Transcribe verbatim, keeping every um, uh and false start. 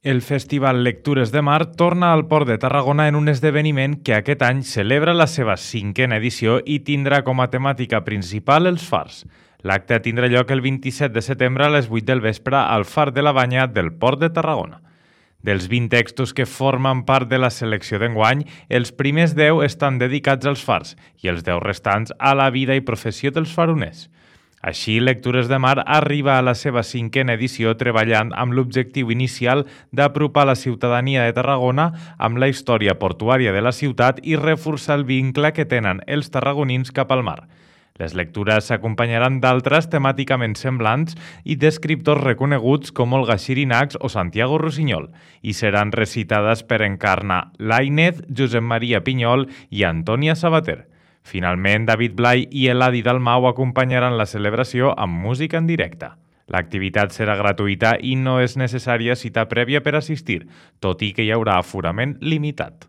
El Festival Lectures de Mar torna al Port de Tarragona en un esdeveniment que aquest any celebra la seva cinquena edició i tindrà com a temàtica principal els fars. L'acte tindrà lloc el vint-i-set de setembre a les vuit del vespre al Far de la Banya del Port de Tarragona. Dels vint textos que formen part de la selecció d'enguany, els primers deu estan dedicats als fars i els deu restants a la vida i professió dels faroners. Així, Lectures de Mar arriba a la seva cinquena edició treballant amb l'objectiu inicial d'apropar la ciutadania de Tarragona amb la història portuària de la ciutat i reforçar el vincle que tenen els tarragonins cap al mar. Les lectures s'acompanyaran d'altres temàticament semblants i d'escriptors reconeguts com Olga Xirinacs o Santiago Rusiñol i seran recitades per Encarna Lainez, Josep Maria Pinyol i Antònia Sabater. Finalment, David Blai i Eladi Dalmau acompanyaran la celebració amb música en directe. L'activitat serà gratuïta i no és necessària cita prèvia per assistir, tot i que hi haurà aforament limitat.